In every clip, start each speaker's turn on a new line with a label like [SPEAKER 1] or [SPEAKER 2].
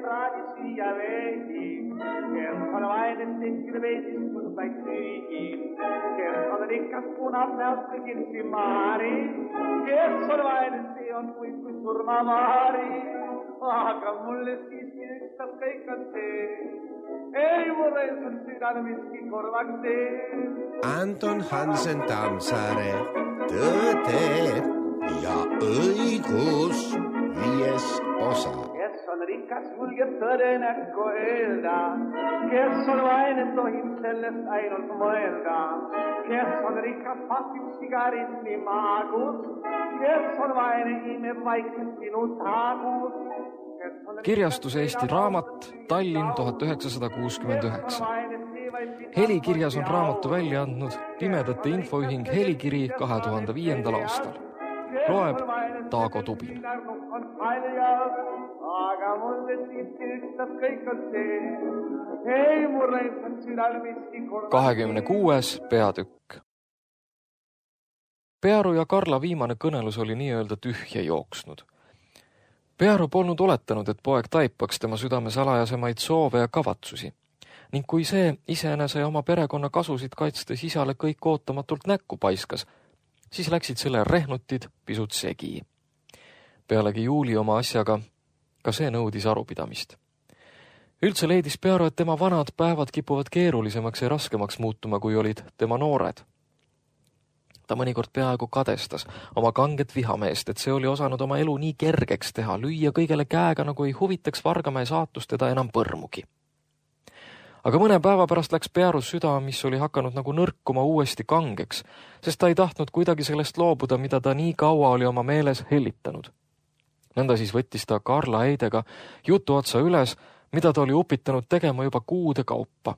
[SPEAKER 1] praadi süüa veidi, kes on vaene tehtil veidis mõndaid süügi, kes on rikas punab näost kõigil maari, kes on vaene see on kui surmamaari, aga mulle siiski ükstas kõik on see, ei mulle on südame miski korvaks tee.
[SPEAKER 2] Anton Hansen Tammsaare, Tõde ja õigus 5. osa.
[SPEAKER 1] Kes on rikas, julgeb tõde näkku öelda, kes on vaene, tohib sellest ainult mõelda, kes on rikas, pasib sigaretti maagus, kes on vaene, imeb vaikselt sinu taagus.
[SPEAKER 3] Kirjastus Eesti Raamat, Tallinn 1969. Helikirjas on raamatu välja andnud Pimedate Infoühing Helikiri 2005. aastal. Loeb Taago Tubin.
[SPEAKER 1] Aga mulle siiski ükstas kõik on see, ei mulle on südal miski korda.
[SPEAKER 3] 26. peatükk. Pearu ja Karla viimane kõnelus oli nii-öelda tühja jooksnud. Pearu polnud oletanud, et poeg taipaks tema südame salajasemaid soove ja kavatsusi, ning kui see iseenese ja oma perekonna kasusid kaitstes isale kõik ootamatult näkku paiskas, siis läksid selle rehnutid pisut segi. Pealegi Juuli oma asjaga, ka see nõudis arupidamist. Üldse leidis Pearu, et tema vanad päevad kipuvad keerulisemaks ja raskemaks muutuma, kui olid tema noored. Ta mõnikord peaaegu kadestas oma kanget vihameest, et see oli osanud oma elu nii kergeks teha, lüüa kõigele käega, nagu ei huvitaks Vargamäe saatust teda enam põrmugi. Aga mõne päeva pärast läks Pearus süda, mis oli hakanud nagu nõrkuma uuesti kangeks, sest ta ei tahtnud kuidagi sellest loobuda, mida ta nii kaua oli oma meeles hellitanud. Nõnda siis võttis ta Karla Heidega jutu otsa üles, mida ta oli upitanud tegema juba kuude kaupa.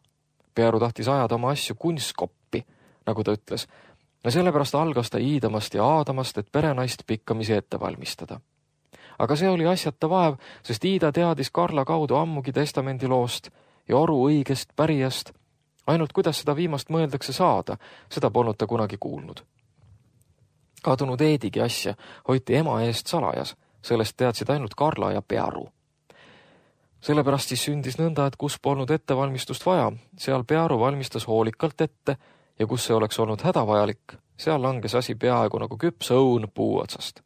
[SPEAKER 3] Pearu tahtis ajada oma asju kunstkoppi, nagu ta ütles, ja sellepärast algas ta iidamast ja aadamast, et perenaist pikkamisi ette valmistada. Aga see oli asjata vaev, sest Iida teadis Karla kaudu ammugi testamendi loost ja oru õigest pärijast, ainult kuidas seda viimast mõeldakse saada, seda polnud ta kunagi kuulnud. Kadunud Eedigi asja hoiti ema eest salajas, sellest teadsid ainult Karla ja Pearu. Sellepärast siis sündis nõnda, et kus polnud ettevalmistust vaja, seal Pearu valmistas hoolikalt ette ja kus see oleks olnud hädavajalik, seal langes asi peaaegu nagu küps õun puu otsast.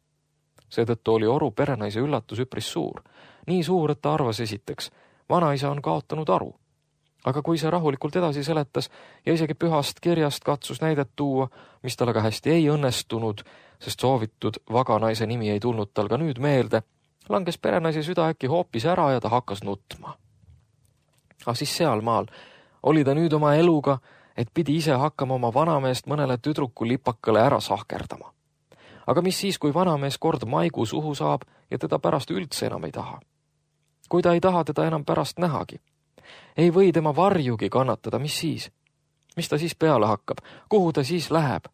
[SPEAKER 3] Seetõttu oli oru perenaise üllatus üpris suur. Nii suur, et ta arvas esiteks, vanaisa on kaotanud aru. Aga kui see rahulikult edasi seletas ja isegi pühast kirjast katsus näidet tuua, mis tal aga hästi ei õnnestunud, sest soovitud vaganaise nimi ei tulnud tal ka nüüd meelde, langes perenaise süda äkki hoopis ära ja ta hakkas nutma. Aga siis sealmaal oli ta nüüd oma eluga, et pidi ise hakkama oma vanameest mõnele tüdruku lipakale ära sahkerdama. Aga mis siis, kui vanamees kord maigu suhu saab ja teda pärast üldse enam ei taha? Kui ta ei taha teda enam pärast nähagi, ei või tema varjugi kannatada, mis siis? Mis ta siis peale hakkab? Kuhu ta siis läheb?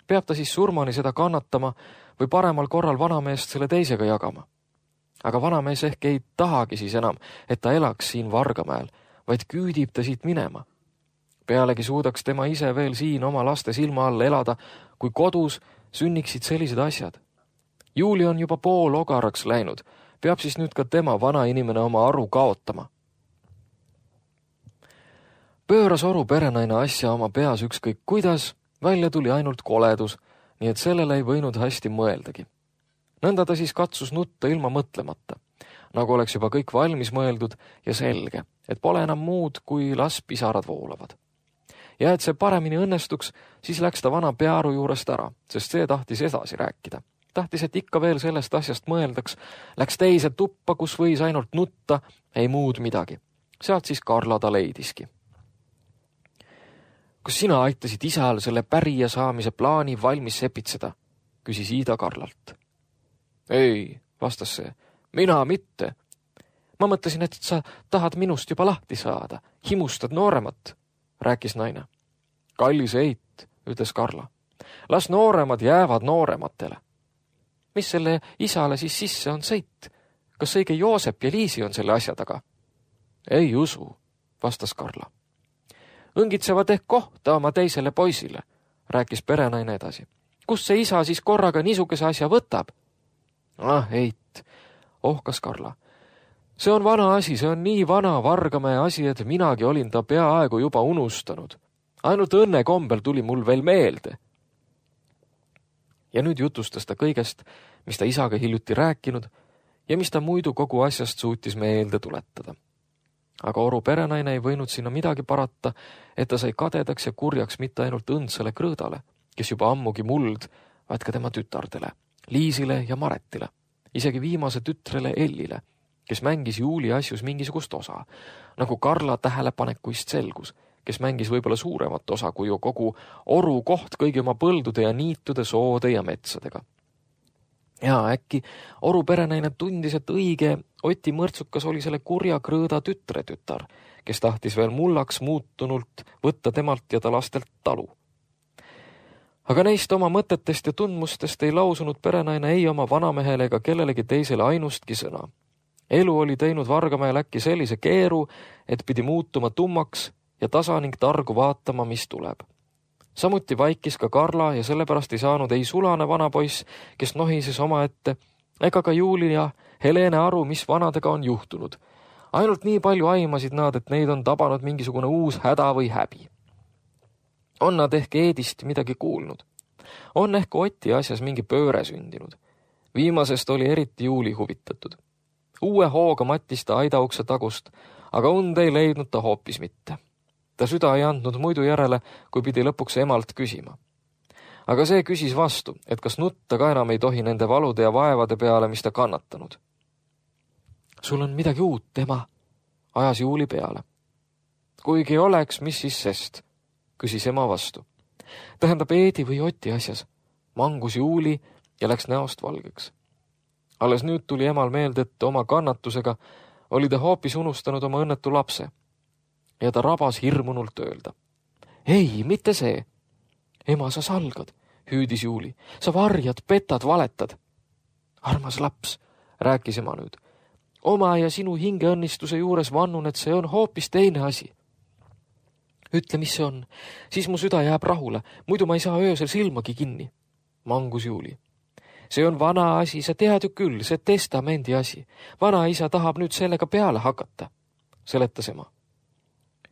[SPEAKER 3] Peab ta siis surmani seda kannatama või paremal korral vanameest selle teisega jagama? Aga vanamees ehk ei tahagi siis enam, et ta elaks siin Vargamäel, vaid küüdib ta siit minema. Pealegi suudaks tema ise veel siin oma laste silma all elada, kui kodus sünniksid sellised asjad. Juuli on juba pool ogaraks läinud, peab siis nüüd ka tema vana inimene oma aru kaotama. Pööras oru perenaine asja oma peas ükskõik kuidas, välja tuli ainult koledus, nii et sellele ei võinud hästi mõeldagi. Nõnda ta siis katsus nutta ilma mõtlemata, nagu oleks juba kõik valmis mõeldud ja selge, et pole enam muud, kui las pisarad voolavad. Ja et see paremini õnnestuks, siis läks ta vana Pearu juurest ära, sest see tahtis edasi rääkida. Tahtis, et ikka veel sellest asjast mõeldaks, läks teise tuppa, kus võis ainult nutta, ei muud midagi. Sealt siis Karla ta leidiski. Kas sina aitasid isal selle pärija saamise plaani valmis sepitseda? Küsis Iida Karlalt. Ei, vastas see, mina mitte. Ma mõtlesin, et sa tahad minust juba lahti saada, himustad nooremat, rääkis naine. Kallis eit, ütles Karla. Las nooremad jäävad noorematele. Mis selle isale siis sisse on seit? Kas õige Joosep ja Liisi on selle asja taga? Ei usu, vastas Karla. Õngitsevad ehk kohta oma teisele poisile, rääkis perenaine edasi. Kus see isa siis korraga niisuguse asja võtab? Eit, ohkas Karla. See on vana asi, see on nii vana Vargamäe asi, et minagi olin ta peaaegu juba unustanud. Ainult õnne kombel tuli mul veel meelde. Ja nüüd jutustas ta kõigest, mis ta isaga hiljuti rääkinud ja mis ta muidu kogu asjast suutis meelde tuletada. Aga Oru perenaine ei võinud sinna midagi parata, et ta sai kadedaks ja kurjaks mitte ainult õndsale Krõõdale, kes juba ammugi muld, vaid ka tema tütardele, Liisile ja Maretile, isegi viimase tütrele Ellile, kes mängis Juuli asjus mingisugust osa, nagu Karla tähelepanekuist selgus, kes mängis võib-olla suuremat osa kui ju kogu Oru koht kõigi oma põldude ja niitude, soode ja metsadega. Ja äkki Oru perenaine tundis, et õige Oti Mõrtsukas oli selle kurja Krõõda tütar, kes tahtis veel mullaks muutunult võtta temalt ja ta lastelt talu. Aga neist oma mõtetest ja tundmustest ei lausunud perenaine ei oma vanamehele ega kellelegi teisele ainustki sõna. Elu oli teinud Vargamäel äkki sellise keeru, et pidi muutuma tummaks ja tasa ning targu vaatama, mis tuleb. Samuti vaikis ka Karla ja sellepärast ei saanud ei sulane vanapoiss, kes nohises omaette, ega ka Juuli ja Helene aru, mis vanadega on juhtunud. Ainult nii palju aimasid nad, et neid on tabanud mingisugune uus häda või häbi. On nad ehk Eedist midagi kuulnud. On ehk Oti asjas mingi pööre sündinud. Viimasest oli eriti Juuli huvitatud. Uue hooga mattis ta aidaukse tagust, aga und ei leidnud ta hoopis mitte. Ta süda ei andnud muidu järele, kui pidi lõpuks emalt küsima. Aga see küsis vastu, et kas nutta ka enam ei tohi nende valude ja vaevade peale, mis ta kannatanud. Sul on midagi uut, ema, ajas Juuli peale. Kuigi oleks, mis siis sest, küsis ema vastu. Tähendab Eedi või Oti asjas, mangus Juuli ja läks näost valgeks. Alles nüüd tuli emal meelde, et oma kannatusega oli ta hoopis unustanud oma õnnetu lapse. Ja ta rabas hirmunult öelda. Ei, mitte see. Ema, sa salgad, hüüdis Juuli. Sa varjad, petad, valetad. Armas laps, rääkis ema nüüd. Oma ja sinu hingeõnnistuse juures vannun, et see on hoopis teine asi. Ütle, mis see on, siis mu süda jääb rahule, muidu ma ei saa öösel silmagi kinni. Mangus Juuli. See on vana asi, sa tead ju küll, see testamendi asi. Vanaisa tahab nüüd sellega peale hakata, seletas ema.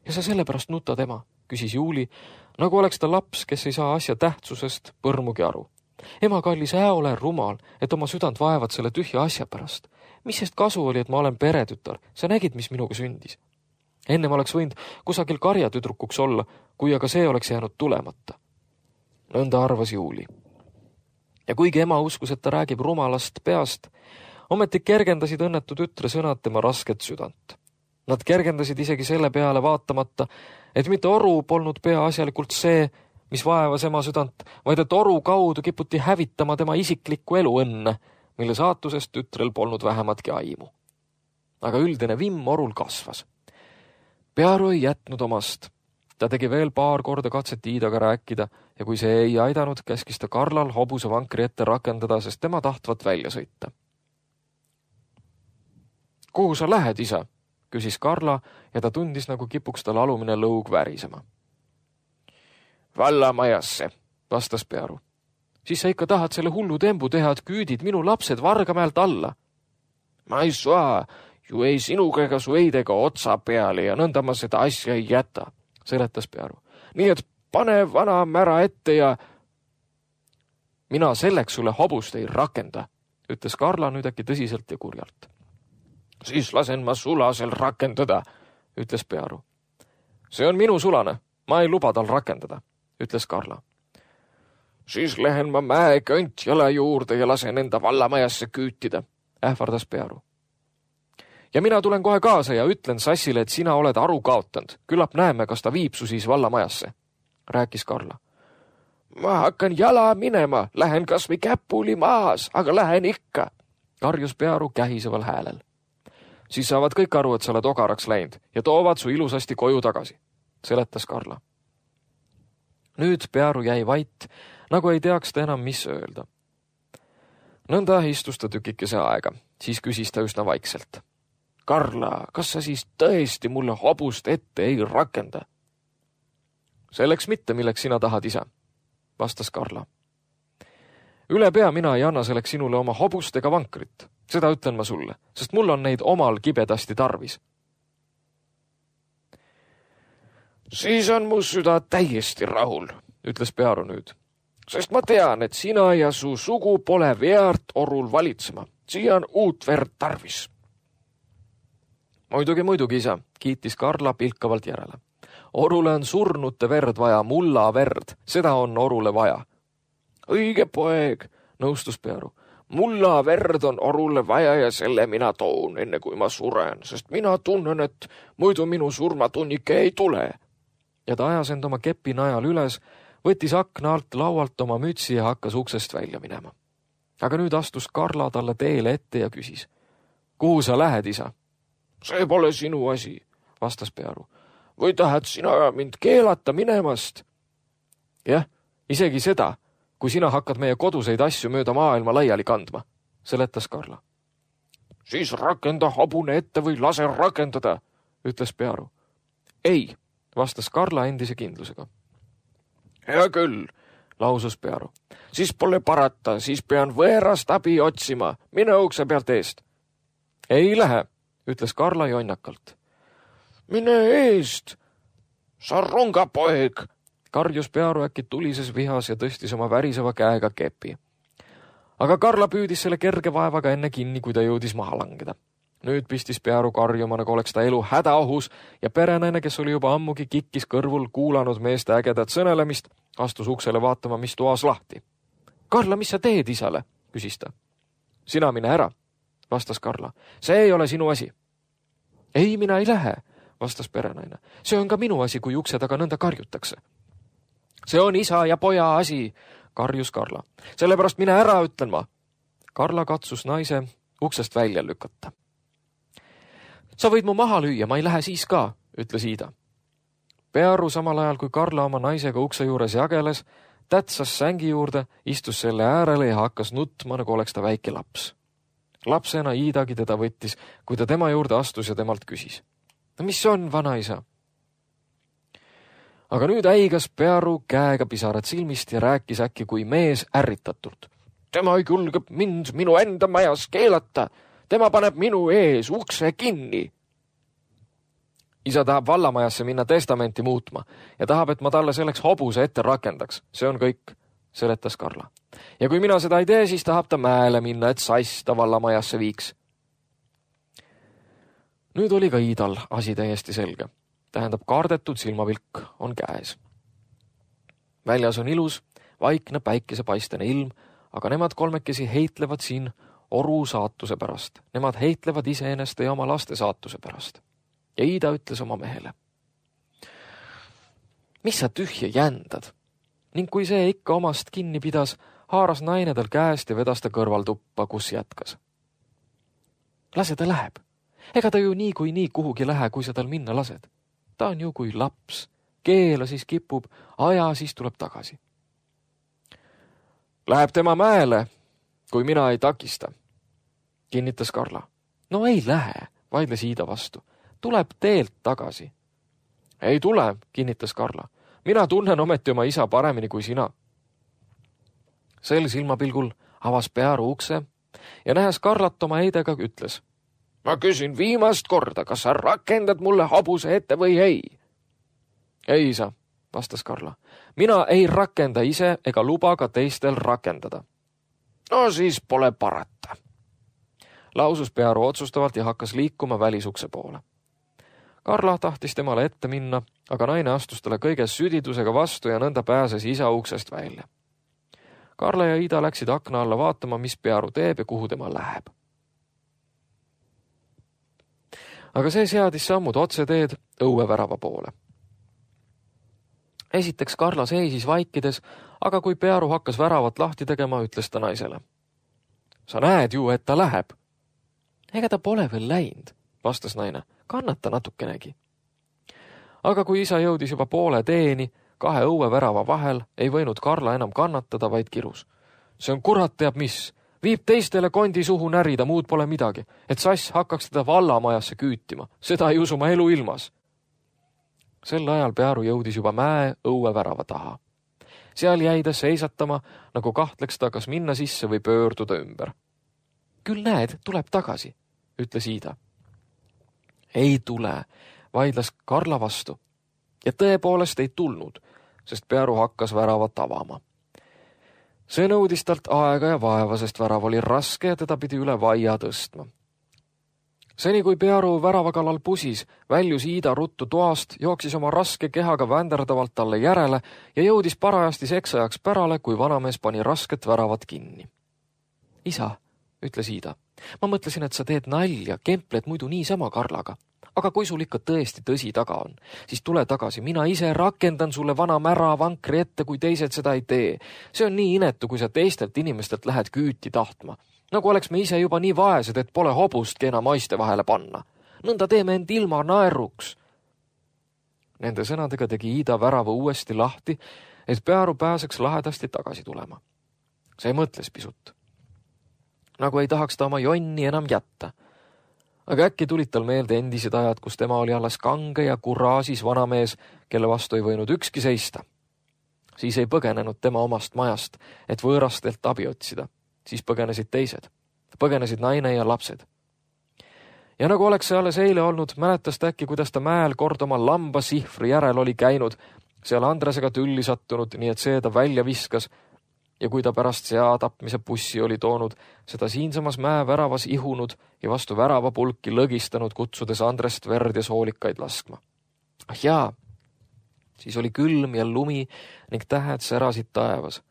[SPEAKER 3] Ja sa sellepärast nutad, ema, küsis Juuli, nagu oleks ta laps, kes ei saa asja tähtsusest põrmugi aru. Ema kallis, ole rumal, et oma südant vaevad selle tühja asja pärast. Mis sest kasu oli, et ma olen peretütar? Sa nägid, mis minuga sündis. Enne ma oleks võinud kusagil karjatüdrukuks olla, kui aga see oleks jäänud tulemata. Nõnda arvas Juuli. Ja kuigi ema uskus, et ta räägib rumalast peast, ometi kergendasid õnnetu tütre sõnad tema rasket südant. Nad kergendasid isegi selle peale vaatamata, et mitte Oru polnud peaasjalikult see, mis vaevas ema südant, vaid et Oru kaudu kiputi hävitama tema isiklikku eluõnne, mille saatusest tütrel polnud vähematki aimu. Aga üldine vimm Orul kasvas. Pearu ei jätnud omast. Ta tegi veel paar korda katset Iidaga rääkida ja kui see ei aidanud, käskis ta Karlal hobuse vankri ette rakendada, sest tema tahtvat välja sõita. Kuhu sa lähed, isa? Küsis Karla ja ta tundis, nagu kipuks tal alumine lõug värisema. Vallamajasse, vastas Pearu. Siis sa ikka tahad selle hullu tembu teha, et küüdid minu lapsed Vargamäelt alla. Ma ei saa, ju ei sinuga ega su eidega otsa peale ja nõnda ma seda asja ei jäta, seletas Pearu. Nii et pane vana mära ette ja... Mina selleks sulle hobust ei rakenda, ütles Karla nüüd äkki tõsiselt ja kurjalt. Siis lasen ma sulasel rakendada, ütles Pearu. See on minu sulane, ma ei luba tal rakendada, ütles Karla. Siis lähen ma mäekõnt jala juurde ja lasen enda vallamajasse küütida, ähvardas Pearu. Ja mina tulen kohe kaasa ja ütlen Sassile, et sina oled aru kaotanud. Küllap näeme, kas ta viib su siis vallamajasse, rääkis Karla. Ma hakkan jala minema, lähen kas või käpuli maas, aga lähen ikka, karjus Pearu kähiseval häälel. Siis saavad kõik aru, et sa oled ogaraks läinud ja toovad su ilusasti koju tagasi, seletas Karla. Nüüd Pearu jäi vait, nagu ei teaks ta enam, mis öelda. Nõnda istus ta tükikese aega, siis küsis ta üsna vaikselt. Karla, kas sa siis tõesti mulle hobust ette ei rakenda? Selleks mitte, milleks sina tahad, isa, vastas Karla. Üle pea mina ei anna selleks sinule oma hobust ega vankrit. Seda ütlen ma sulle, sest mul on neid omal kibedasti tarvis. Siis on mu süda täiesti rahul, ütles Pearu nüüd. Sest ma tean, et sina ja su sugu pole veart orul valitsema. Siia on uut verd tarvis. Muidugi, isa, kiitis Karla pilkavalt järele. Orule on surnute verd vaja, mulla verd, seda on orule vaja. Õige poeg, nõustus Pearu. Mulla verd on orule vaja ja selle mina toon, enne kui ma suren, sest mina tunnen, et muidu minu surmatunnike ei tule. Ja ta ajas end oma kepi najal üles, võttis akna alt laualt oma mütsi ja hakkas uksest välja minema. Aga nüüd astus Karla talle teele ette ja küsis. Kuhu sa lähed, isa? See pole sinu asi, vastas Pearu. Või tahad sina mind keelata minemast? Jah, isegi seda, kui sina hakkad meie koduseid asju mööda maailma laiali kandma, seletas Karla. Siis rakenda hobune ette või lase rakendada, ütles Pearu. Ei, vastas Karla endise kindlusega. Hea küll, lausus Pearu. Siis pole parata, siis pean võerast abi otsima. Mine ukse pealt eest. Ei lähe, ütles Karla jonnakalt. Mine eest, sa rungapoeg, karjus Pearu äkki tulises vihas ja tõstis oma väriseva käega kepi. Aga Karla püüdis selle kerge vaevaga enne kinni, kui ta jõudis maha langeda. Nüüd pistis Pearu karjuma, nagu oleks ta elu hädaohus ja perenaine, kes oli juba ammugi kikkis kõrvul kuulanud meeste ägedat sõnelemist, astus uksele vaatama, mis toas lahti. Karla, mis sa teed isale? Küsis ta. Sina mine ära, vastas Karla. See ei ole sinu asi. Ei, mina ei lähe, vastas perenaine. See on ka minu asi, kui ukse taga nõnda karjutakse. See on isa ja poja asi, karjus Karla. Sellepärast mine ära, ütlen ma. Karla katsus naise uksest välja lükata. Sa võid mu maha lüüa, ma ei lähe siis ka, ütles Iida. Pearu samal ajal, kui Karla oma naisega ukse juures jageles, tätsas sängi juurde, istus selle äärele ja hakkas nutma, nagu oleks ta väike laps. Lapsena Iidagi teda võttis, kui ta tema juurde astus ja temalt küsis. Mis on, vanaisa? Aga nüüd äigas Pearu käega pisarad silmist ja rääkis äkki kui mees ärritatult. Tema ei julge mind minu enda majas keelata. Tema paneb minu ees ukse kinni. Isa tahab vallamajasse minna testamenti muutma ja tahab, et ma talle selleks hobuse ette rakendaks. See on kõik, seletas Karla. Ja kui mina seda ei tee, siis tahab ta mäele minna, et sass ta vallamajasse viiks. Nüüd oli ka Iidal asi täiesti selge. Tähendab, kardetud silmavilk on käes. Väljas on ilus, vaikne päikesepaistene ilm, aga nemad kolmekesi heitlevad siin oru saatuse pärast. Nemad heitlevad iseeneste ja oma laste saatuse pärast. Ja Iida ütles oma mehele. Mis sa tühja jändad? Ning kui see ikka omast kinni pidas, haaras naine tal käest ja vedas ta kõrvaltuppa, kus jätkas. Lase ta läheb. Ega ta ju nii kuhugi lähe, kui sa tal minna lased. Ta on ju kui laps. Keela siis kipub, aja siis tuleb tagasi. Läheb tema mäele, kui mina ei takista, kinnitas Karla. No ei lähe, vaidles Iida vastu. Tuleb teelt tagasi. Ei tule, kinnitas Karla. Mina tunnen ometi oma isa paremini kui sina. Sel silmapilgul avas Pearu ukse ja nähes Karlat oma eidega ütles. Ma küsin viimast korda, kas sa rakendad mulle hobuse ette või ei? Ei, isa, vastas Karla. Mina ei rakenda ise ega luba ka teistel rakendada. No siis pole parata. Lausus Pearu otsustavalt ja hakkas liikuma välisukse poole. Karla tahtis temale ette minna, aga naine astus talle kõige südidusega vastu ja nõnda pääses isa uksest välja. Karla ja Iida läksid akna alla vaatama, mis Pearu teeb ja kuhu tema läheb. Aga see seadis sammud otseteed õuevärava poole. Esiteks Karla seisis vaikides, aga kui Pearu hakkas väravat lahti tegema, ütles ta naisele. Sa näed ju, et ta läheb. Ega ta pole veel läinud, vastas naine. Kannata natukenegi. Aga kui isa jõudis juba poole teeni, 2 õuevärava vahel, ei võinud Karla enam kannatada, vaid kirus. See on kurat teab mis. Viib teistele kondi suhu närida, muud pole midagi, et sass hakkaks teda vallamajasse küütima. Seda ei usu ma elu ilmas. Sel ajal Pearu jõudis juba mäe õuevärava taha. Seal jäi ta seisatama, nagu kahtleks ta kas minna sisse või pöörduda ümber. Küll näed, tuleb tagasi, ütles Iida. Ei tule, vaidles Karla vastu. Ja tõepoolest ei tulnud, sest Pearu hakkas väravat avama. See nõudis talt aega ja vaeva, sest värav oli raske ja teda pidi üle vaia tõstma. Seni kui Pearu värava kallal pusis, väljus Iida ruttu toast, jooksis oma raske kehaga vänderdavalt talle järele ja jõudis parajasti seksajaks pärale, kui vanamees pani rasket väravat kinni. Isa, ütles Iida, ma mõtlesin, et sa teed nalja, kempled muidu niisama Karlaga. Aga kui sul ikka tõesti tõsi taga on, siis tule tagasi. Mina ise rakendan sulle vana mära vankri ette, kui teised seda ei tee. See on nii inetu, kui sa teistelt inimestelt lähed küüti tahtma. Nagu oleks me ise juba nii vaesed, et pole hobustki enam maiste vahele panna. Nõnda teeme end ilma naeruks. Nende sõnadega tegi Iida värava uuesti lahti, et Pearu pääseks lahedasti tagasi tulema. See mõtles pisut. Nagu ei tahaks ta oma jonni enam jätta. Aga äkki tulid tal meelde endised ajad, kus tema oli alles kange ja kuraasis vanamees, kelle vastu ei võinud ükski seista. Siis ei põgenenud tema omast majast, et võõrastelt abi otsida. Siis põgenesid teised. Põgenesid naine ja lapsed. Ja nagu oleks see alles eile olnud, mäletas ta äkki, kuidas ta mäel kord oma lamba sihvri järel oli käinud, seal Andresega tülli sattunud, nii et see ta välja viskas, ja kui ta pärast sea tapmise bussi oli toonud, seda siinsamas mäe väravas ihunud ja vastu värava pulki lõgistanud, kutsudes Andrest verd ja soolikaid laskma. Ah jaa, siis oli külm ja lumi ning tähed särasid taevas.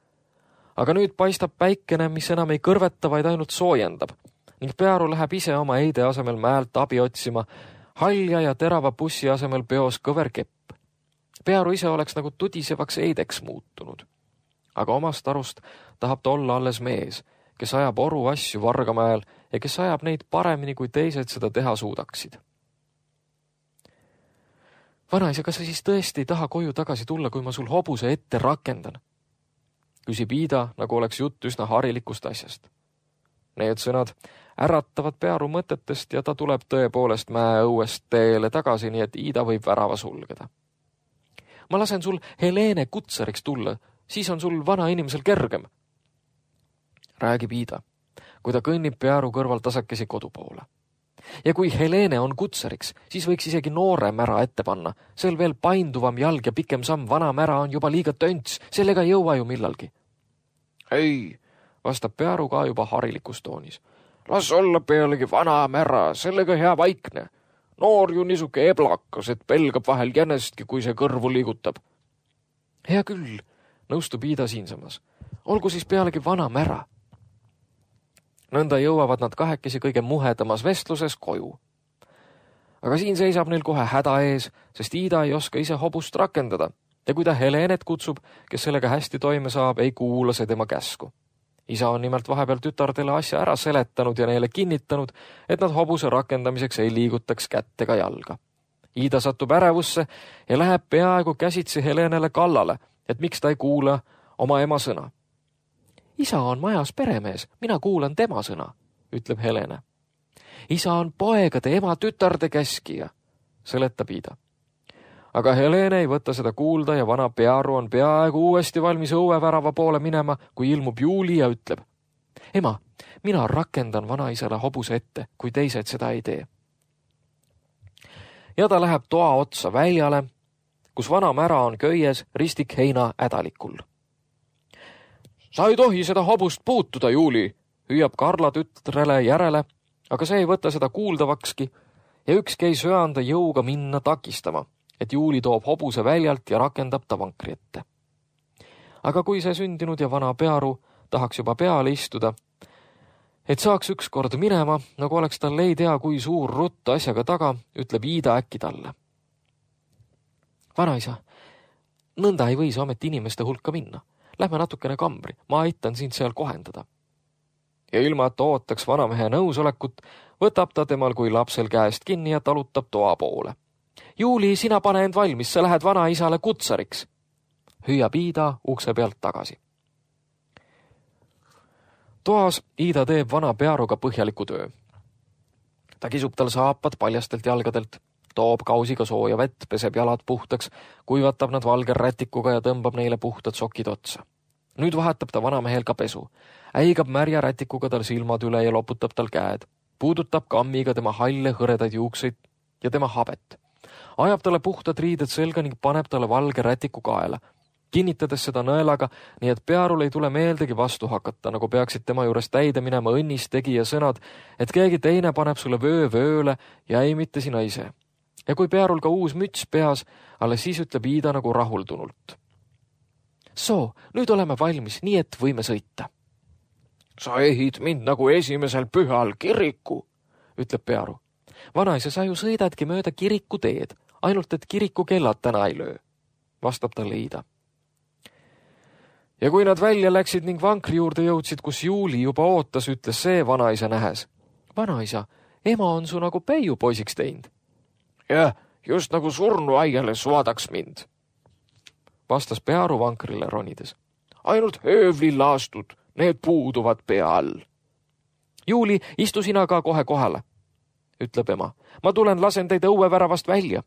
[SPEAKER 3] Aga nüüd paistab päikene, mis enam ei kõrveta, vaid ainult soojendab ning Pearu läheb ise oma eide asemel mäelt abi otsima, halja ja terava bussi asemel peos kõver kepp. Pearu ise oleks nagu tudisevaks eideks muutunud. Aga omast arust tahab ta olla alles mees, kes ajab oru asju Vargamäel ja kes ajab neid paremini, kui teised seda teha suudaksid. Vanaisa, kas sa siis tõesti ei taha koju tagasi tulla, kui ma sul hobuse ette rakendan? Küsib Iida, nagu oleks jutt üsna harilikust asjast. Need sõnad äratavad Pearu mõtetest ja ta tuleb tõepoolest mäe õuest teele tagasi, nii et Iida võib värava sulgeda. Ma lasen sul Helene kutsariks tulla, siis on sul vana inimesel kergem. Räägib Iida, kui ta kõnnib Pearu kõrval tasakesi kodu poole. Ja kui Helene on kutsariks, siis võiks isegi noore mära ette panna. Sel veel painduvam jalg ja pikem samm, vana mära on juba liiga tönts, sellega ei jõua ju millalgi. Ei, vastab Pearu ka juba harilikus toonis. Las olla pealegi vana mära, sellega hea vaikne. Noor ju niisuke eblakas, et pelgab vahel jänestki, kui see kõrvu liigutab. Hea küll, nõustub Iida siinsamas. Olgu siis pealegi vana mära. Nõnda jõuavad nad kahekesi kõige muhedamas vestluses koju. Aga siin seisab neil kohe häda ees, sest Iida ei oska ise hobust rakendada ja kui ta Helenet kutsub, kes sellega hästi toime saab, ei kuula see tema käsku. Isa on nimelt vahepeal tütardele asja ära seletanud ja neile kinnitanud, et nad hobuse rakendamiseks ei liigutaks kätt ega jalga. Iida satub ärevusse ja läheb peaaegu käsitsi Helenele kallale, et miks ta ei kuula oma ema sõna. Isa on majas peremees, mina kuulan tema sõna, ütleb Helene. Isa on poegade ema tütarde käskija, seletab Iida. Aga Helene ei võta seda kuulda ja vana Pearu on peaaegu uuesti valmis õuevärava poole minema, kui ilmub Juuli ja ütleb. Ema, mina rakendan vanaisale hobuse ette, kui teised seda ei tee. Ja ta läheb toa otsa väljale, kus vana mära on köies ristik heina ädalikul. Sa ei tohi seda hobust puutuda, Juuli, hüüab Karla tütrele järele, aga see ei võta seda kuuldavakski ja ükski ei söanda jõuga minna takistama, et Juuli toob hobuse väljalt ja rakendab ta vankri ette. Aga kui see sündinud ja vana Pearu tahaks juba peale istuda, et saaks ükskord minema, nagu oleks tal ei tea, kui suur rutt asjaga taga, ütleb Iida äkki talle. Vanaisa, nõnda ei või sa ometi inimeste hulka minna. Lähme natukene kambri, ma aitan sind seal kohendada. Ja ilma, et ootaks vanamehe nõusolekut, võtab ta temal kui lapsel käest kinni ja talutab toa poole. Juuli, sina pane end valmis, sa lähed vanaisale kutsariks. Hüüab Iida ukse pealt tagasi. Toas Iida teeb vana Pearuga põhjaliku töö. Ta kisub tal saapad paljastelt jalgadelt, toob kausiga sooja vett, peseb jalad puhtaks, kuivatab nad valge rätikuga ja tõmbab neile puhtad sokid otsa. Nüüd vahetab ta vanamehel ka pesu. Äigab märja rätikuga tal silmad üle ja loputab tal käed. Puudutab kammiga tema halle hõredaid juukseid ja tema habet. Ajab talle puhtad riided selga ning paneb talle valge rätiku kaela, kinnitades seda nõelaga, nii et Pearul ei tule meeldegi vastu hakata, nagu peaksid tema juures täide minema õnnis tegija sõnad, et keegi teine paneb sulle vööle ja ei mitte sina ise. Ja kui Pearul ka uus müts peas, alles siis ütleb Iida nagu rahuldunult. Soo, nüüd oleme valmis, nii et võime sõita. Sa ehid mind nagu esimesel pühal kiriku, ütleb Pearu. Vanaisa, sa ju sõidadki mööda kiriku teed, ainult et kiriku kellad täna ei löö, vastab talle Iida. Ja kui nad välja läksid ning vankri juurde jõudsid, kus Juuli juba ootas, ütles see vanaisa nähes. Vanaisa, ema on su nagu Peiu poisiks teinud. Jah, just nagu surnu aiale suadaks mind, vastas Pearu vankrile ronides. Ainult höövlilaastud, need puuduvad pea all. Juuli, istu sina ka kohe kohale, ütleb ema. Ma tulen lasen teid õueväravast välja.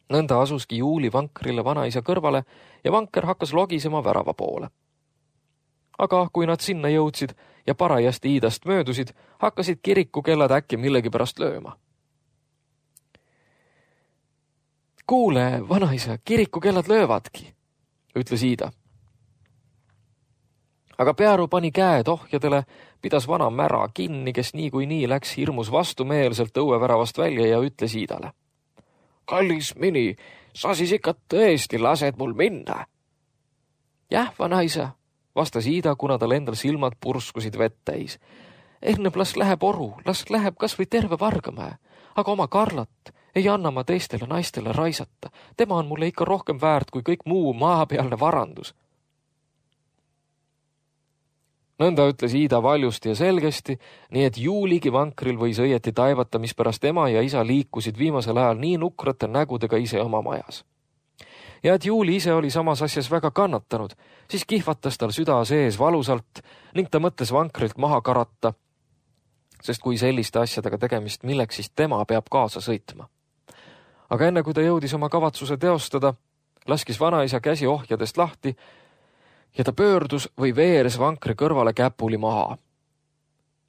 [SPEAKER 3] Nõnda asuski Juuli vankrile vanaisa kõrvale ja vanker hakkas logisema värava poole. Aga kui nad sinna jõudsid ja parajasti Iidast möödusid, hakkasid kirikukellad äkki millegipärast lööma. Kuule, vanaisa, kirikukellad löövadki, ütles Iida. Aga Pearu pani käed ohjadele, pidas vana mära kinni, kes nii läks hirmus vastumeelselt õueväravast välja ja ütles Iidale. Kallis mini, sa siis ikka tõesti lased mul minna? Jah, vanaisa, vastas Iida, kuna tal endal silmad purskusid vett täis. Enne las läheb oru, las läheb kas või terve Vargamäe, aga oma Karlat ei anna ma teistele naistele raisata. Tema on mulle ikka rohkem väärt kui kõik muu maapealne varandus. Nõnda ütles Iida valjusti ja selgesti, nii et Juuligi vankril võis õieti taivata, mispärast ema ja isa liikusid viimasel ajal nii nukrate nägudega ise oma majas. Ja et Juuli ise oli samas asjas väga kannatanud, siis kihvatas tal süda sees valusalt ning ta mõtles vankrilt maha karata, sest kui selliste asjadega tegemist, milleks siis tema peab kaasa sõitma. Aga enne kui ta jõudis oma kavatsuse teostada, laskis vanaisa käsi ohjadest lahti ja ta pöördus või veeres vankri kõrvale käpuli maha.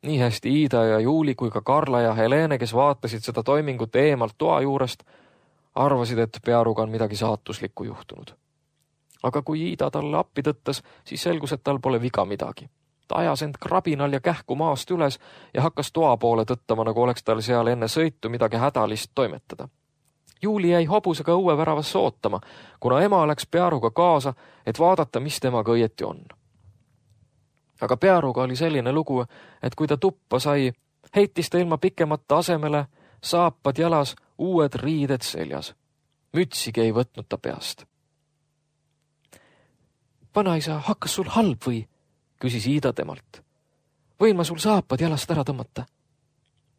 [SPEAKER 3] Nii hästi Iida ja Juuli kui ka Karla ja Helene, kes vaatasid seda toimingut eemalt toa juurest, arvasid, et Pearuga on midagi saatuslikku juhtunud. Aga kui Iida talle appi tõttas, siis selgus, et tal pole viga midagi. Ta ajas end krabinal ja kähku maast üles ja hakkas toa poole tõttama, nagu oleks tal seal enne sõitu midagi hädalist toimetada. Juuli jäi hobusega õueväravasse ootama, kuna ema läks Pearuga kaasa, et vaadata, mis temaga õieti on. Aga Pearuga oli selline lugu, et kui ta tuppa sai, heitis ta ilma pikemata asemele, saapad jalas, uued riided seljas. Mütsigi ei võtnud ta peast. Vanaisa, hakkas sul halb või? Küsis Iida temalt. Võin ma sul saapad jalast ära tõmmata?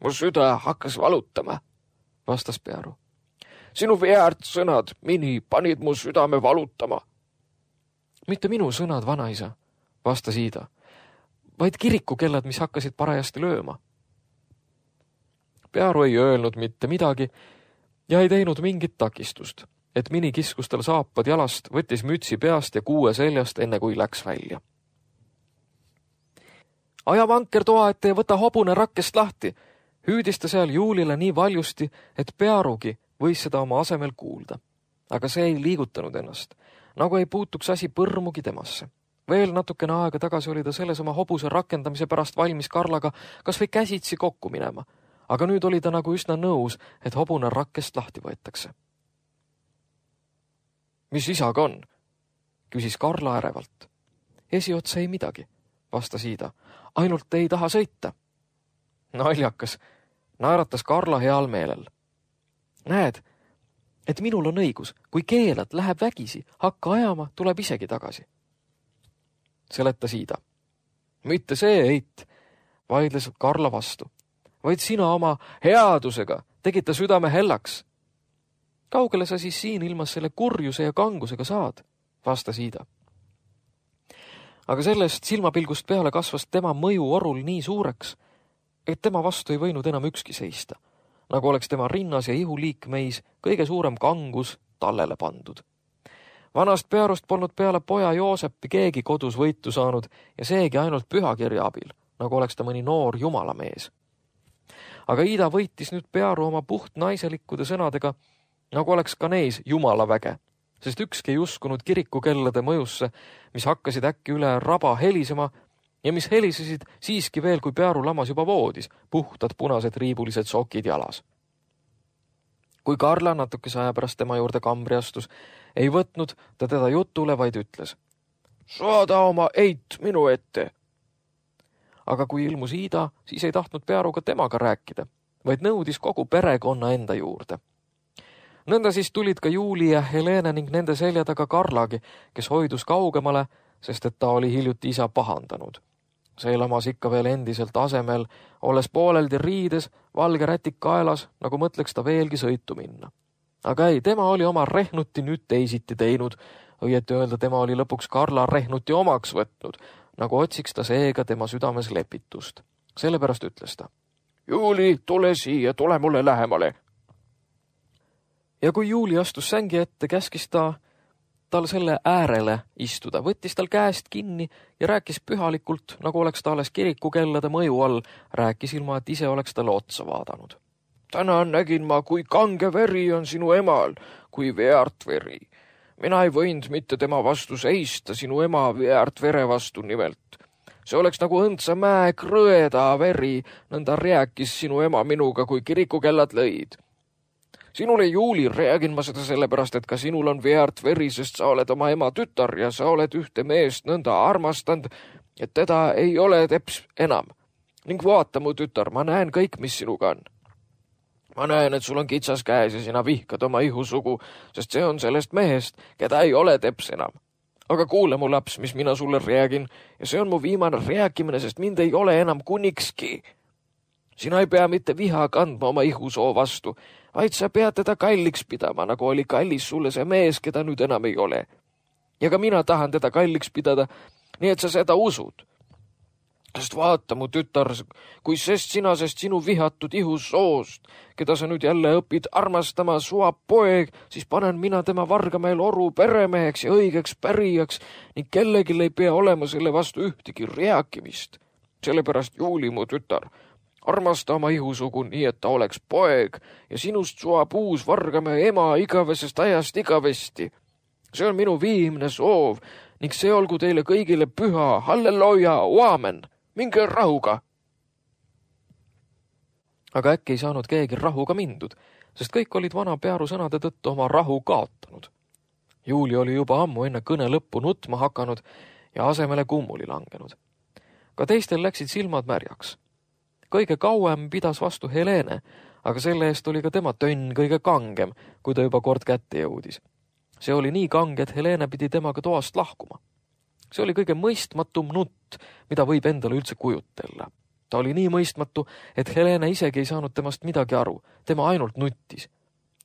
[SPEAKER 3] Mu süda hakkas valutama, vastas Pearu. Sinu veäärt sõnad, mini, panid mu südame valutama. Mitte minu sõnad, vanaisa, vastas Iida, vaid kirikukellad, mis hakkasid parajasti lööma. Pearu ei öelnud mitte midagi ja ei teinud mingit takistust, et mini kiskus tal saapad jalast, võttis mütsi peast ja kuue seljast, enne kui läks välja. Aja vanker toa ette ja võta hobune rakkest lahti, hüüdis ta seal Juulile nii valjusti, et Pearugi võis seda oma asemel kuulda. Aga see ei liigutanud ennast, nagu ei puutuks asi põrmugi temasse. Veel natukene aega tagasi oli ta selles oma hobuse rakendamise pärast valmis Karlaga kas või käsitsi kokku minema, aga nüüd oli ta nagu üsna nõus, et hobune rakkest lahti võetakse. Mis isaga on? Küsis Karla ärevalt. Esiotsa ei midagi, vastas Iida. Ainult ei taha sõita. Naljakas, naeratas Karla heal meelel. Näed, et minul on õigus, kui keelad, läheb vägisi, hakka ajama, tuleb isegi tagasi. Seletas Iida. Mitte see, Eit, vaidles Karla vastu, vaid sina oma headusega tegid ta südame hellaks. Kaugele sa siis siin ilmas selle kurjuse ja kangusega saad, vastas Iida. Aga sellest silmapilgust peale kasvas tema mõju orul nii suureks, et tema vastu ei võinud enam ükski seista, nagu oleks tema rinnas ja ihuliikmeis kõige suurem kangus tallele pandud. Vanast Pearust polnud peale poja Joosepi keegi kodus võitu saanud ja seegi ainult pühakirja abil, nagu oleks ta mõni noor jumalamees. Aga Iida võitis nüüd Pearu oma puht naiselikkude sõnadega, nagu oleks ka neis jumalaväge, sest ükski ei uskunud kirikukellade mõjusse, mis hakkasid äkki üle raba helisema ja mis helisesid siiski veel, kui Pearu lamas juba voodis, puhtad punased riibulised sokid jalas. Kui Karla natukese aja pärast tema juurde kambri astus, ei võtnud ta teda jutule, vaid ütles: "Saada oma eit minu ette." Aga kui ilmus Iida, siis ei tahtnud Pearuga temaga rääkida, vaid nõudis kogu perekonna enda juurde. Nõnda siis tulid ka Juuli ja Helene ning nende selja taga Karlagi, kes hoidus kaugemale, sest et ta oli hiljuti isa pahandanud. See lamas ikka veel endiselt asemel, olles pooleldi riides, valge rätik kaelas, nagu mõtleks ta veelgi sõitu minna. Aga ei, tema oli oma rehnuti nüüd teisiti teinud, õieti öelda tema oli lõpuks Karla rehnuti omaks võtnud, nagu otsiks ta seega tema südames lepitust. Sellepärast ütles ta: "Juuli, tule siia, tule mulle lähemale." Ja kui Juuli astus sängi ette, käskis ta tal selle äärele istuda, võttis tal käest kinni ja rääkis pühalikult, nagu oleks ta alles kirikukellade mõju all, rääkis ilma, et ise oleks talle otsa vaadanud. "Täna nägin ma, kui kange veri on sinu emal, kui veart veri. Mina ei võinud mitte tema vastu seista, sinu ema veart vere vastu nimelt. See oleks nagu õndsa mäe krõeda veri, nõnda rääkis sinu ema minuga, kui kirikukellad lõid. Sinule, Juuli, räägin ma seda sellepärast, et ka sinul on veart veri, sest sa oled oma ema tütar ja sa oled ühte meest nõnda armastanud, et teda ei ole teps enam. Ning vaata, mu tütar, ma näen kõik, mis sinuga on. Ma näen, et sul on kitsas käes ja sina vihkad oma ihusugu, sest see on sellest mehest, keda ei ole teps enam. Aga kuule, mu laps, mis mina sulle räägin, ja see on mu viimane rääkimine, sest mind ei ole enam kunikski. Sina ei pea mitte viha kandma oma ihusoo vastu, vaid sa pead teda kalliks pidama, nagu oli kallis sulle see mees, keda nüüd enam ei ole. Ja ka mina tahan teda kalliks pidada, nii et sa seda usud. Sest vaata, mu tütar, kui sest sinu vihatud ihusoost, keda sa nüüd jälle õpid armastama, suab poeg, siis panen mina tema Vargamäel oru peremeheks ja õigeks pärijaks ning kellegil ei pea olema selle vastu ühtegi rääkimist. Sellepärast, Juuli, mu tütar, armasta oma ihusugu nii, et ta oleks poeg ja sinust suab uus Vargamäe ema igavesest ajast igavesti. See on minu viimne soov ning see olgu teile kõigile püha, halleluja, aamen. Minge rahuga. Aga äkki ei saanud keegi rahuga mindud, sest kõik olid vana Pearu sõnade tõttu oma rahu kaotanud. Juuli oli juba ammu enne kõne lõppu nutma hakanud ja asemele kummuli langenud. Ka teistel läksid silmad märjaks. Kõige kauem pidas vastu Helene, aga selle eest oli ka tema tönn kõige kangem, kui ta juba kord kätte jõudis. See oli nii kange, et Helene pidi temaga toast lahkuma. See oli kõige mõistmatum nutt, mida võib endale üldse kujutella. Ta oli nii mõistmatu, et Helene isegi ei saanud temast midagi aru, tema ainult nuttis.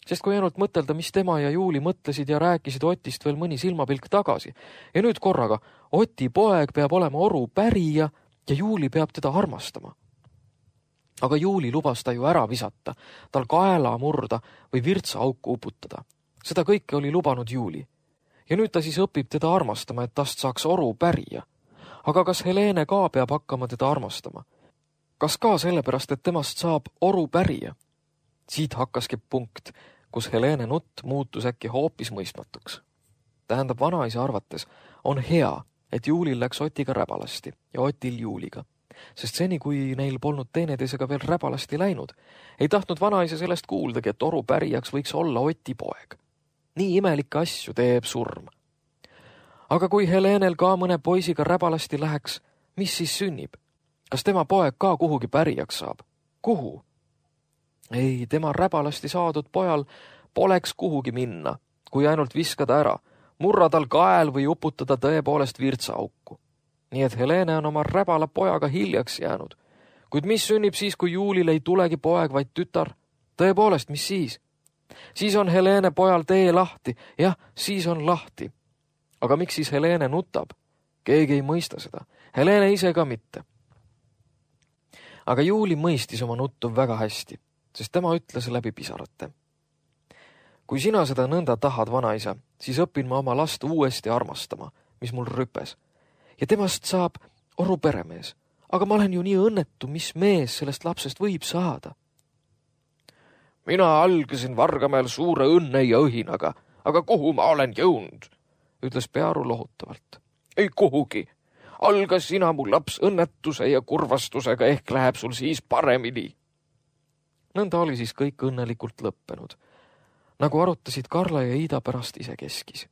[SPEAKER 3] Sest kui ainult mõtelda, mis tema ja Juuli mõtlesid ja rääkisid Otist veel mõni silmapilk tagasi, ja nüüd korraga Oti poeg peab olema oru pärija ja Juuli peab teda armastama. Aga Juuli lubas ta ju ära visata, tal kaela murda või virtsaauku uputada. Seda kõike oli lubanud Juuli. Ja nüüd ta siis õpib teda armastama, et tast saaks oru pärija. Aga kas Helene ka peab hakkama teda armastama? Kas ka sellepärast, et temast saab oru pärija? Siit hakkaski punkt, kus Helene nutt muutus äkki hoopis mõistmatuks. Tähendab, vanaisa arvates on hea, et Juulil läks Otiga räbalasti ja Otil Juuliga. Sest seni, kui neil polnud teineteisega veel räbalasti läinud, ei tahtnud vanaisa sellest kuuldagi, et oru pärijaks võiks olla Oti poeg. Nii imelikke asju teeb surm. Aga kui Helenel ka mõne poisiga räbalasti läheks, mis siis sünnib? Kas tema poeg ka kuhugi pärijaks saab? Kuhu? Ei, tema räbalasti saadud pojal poleks kuhugi minna, kui ainult viskada ära, murra tal kael või uputada tõepoolest virtsaauku. Nii et Helene on oma räbala pojaga hiljaks jäänud. Kuid mis sünnib siis, kui Juulil ei tulegi poeg, vaid tütar? Tõepoolest, mis siis? Siis on Helene pojal tee lahti. Jah, siis on lahti. Aga miks siis Helene nutab? Keegi ei mõista seda. Helene ise ka mitte. Aga Juuli mõistis oma nuttu väga hästi, sest tema ütles läbi pisarate. Kui sina seda nõnda tahad, vanaisa, siis õpin ma oma last uuesti armastama, mis mul rüpes. Ja temast saab oru peremees. Aga ma olen ju nii õnnetu, mis mees sellest lapsest võib saada. Mina algasin Vargamäel suure õnne ja õhinaga, aga kuhu ma olen jõudnud, ütles Pearu lohutavalt. Ei kuhugi. Alga sina, mu laps, õnnetuse ja kurvastusega, ehk läheb sul siis paremini. Nõnda oli siis kõik õnnelikult lõppenud. Nagu arutasid Karla ja Iida pärast isekeskis.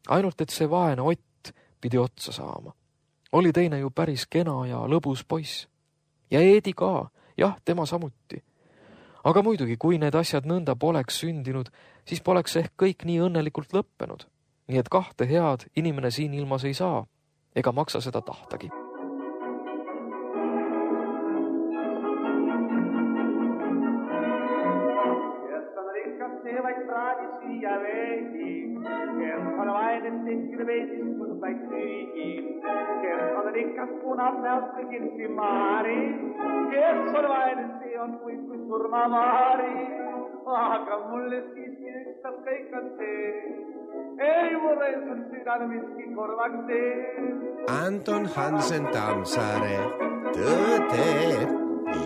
[SPEAKER 3] Ainult, et see vaene Ott pidi otsa saama. Oli teine ju päris kena ja lõbus poiss. Ja Eedi ka, jah, tema samuti. Aga muidugi, kui need asjad nõnda poleks sündinud, siis poleks ehk kõik nii õnnelikult lõppenud. Nii et kahte head inimene siin ilmas ei saa, ega maksa seda tahtagi.
[SPEAKER 1] Vaid praadisi ja veegi, kes on vaid tehkide veesis, kus vaid tüügi, kes on rikas punab näost kõigilsi maari, kes on vaid see on kui surmavaari, aga mulle siiski ükstas kõik on see, ei mulle sul südal miski korvaks see.
[SPEAKER 2] Anton Hansen Tammsaare, Tõde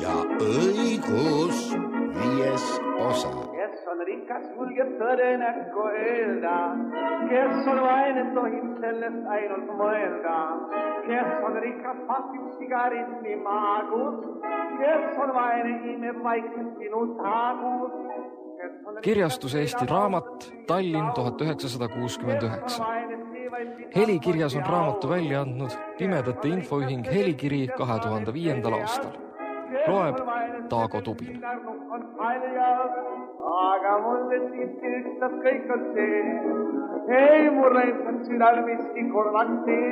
[SPEAKER 2] ja õigus, 5. osa.
[SPEAKER 1] On rikas julgeb tõde näkku öelda, kes on vaene tohib sellest ainult mõelda, kes on rikas pakib sigaritni maagus, kes on vaene imeb vaikselt sinu taagus.
[SPEAKER 3] Kirjastus Eesti Raamat, Tallinn 1969. Helikirjas on raamatu välja andnud Pimedate infoühing Helikiri 2005. aastal. Loeb Taago Tubin.
[SPEAKER 1] Aga mulle siiski ükstas kõik on see, ei mulle on südal miski korvaks see.